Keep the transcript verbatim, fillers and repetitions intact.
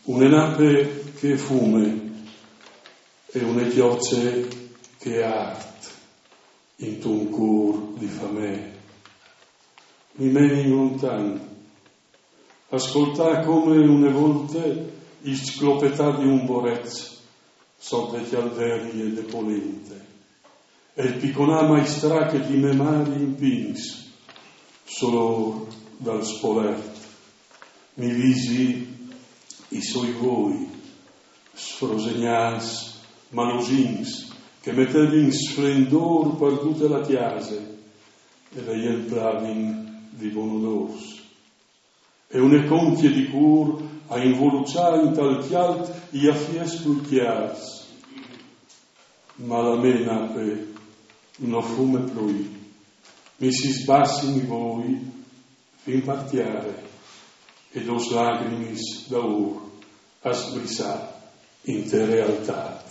Une nape che fume e une chiocce che art intun cûr di famee. Mi menin lontan a scoltâ come une volte il sclopetâ di un borec sot de cjalderie de polente e il piconâ maistrâ che di me mari impins, solôr dal spolert. Mi visi i soi voi, sfrosegnâts, malosins, che metevin sflendôr par dute la cjase e le jemplavin di bon odôrs. E une concje di cûr a involuçâ intal cjalt i afiets plui cjârs. Ma la mê nape no fume plui. Mi si sbassin i voi fin par tiare e dôs lagrimis d'aur a sbrissâ inte realtât.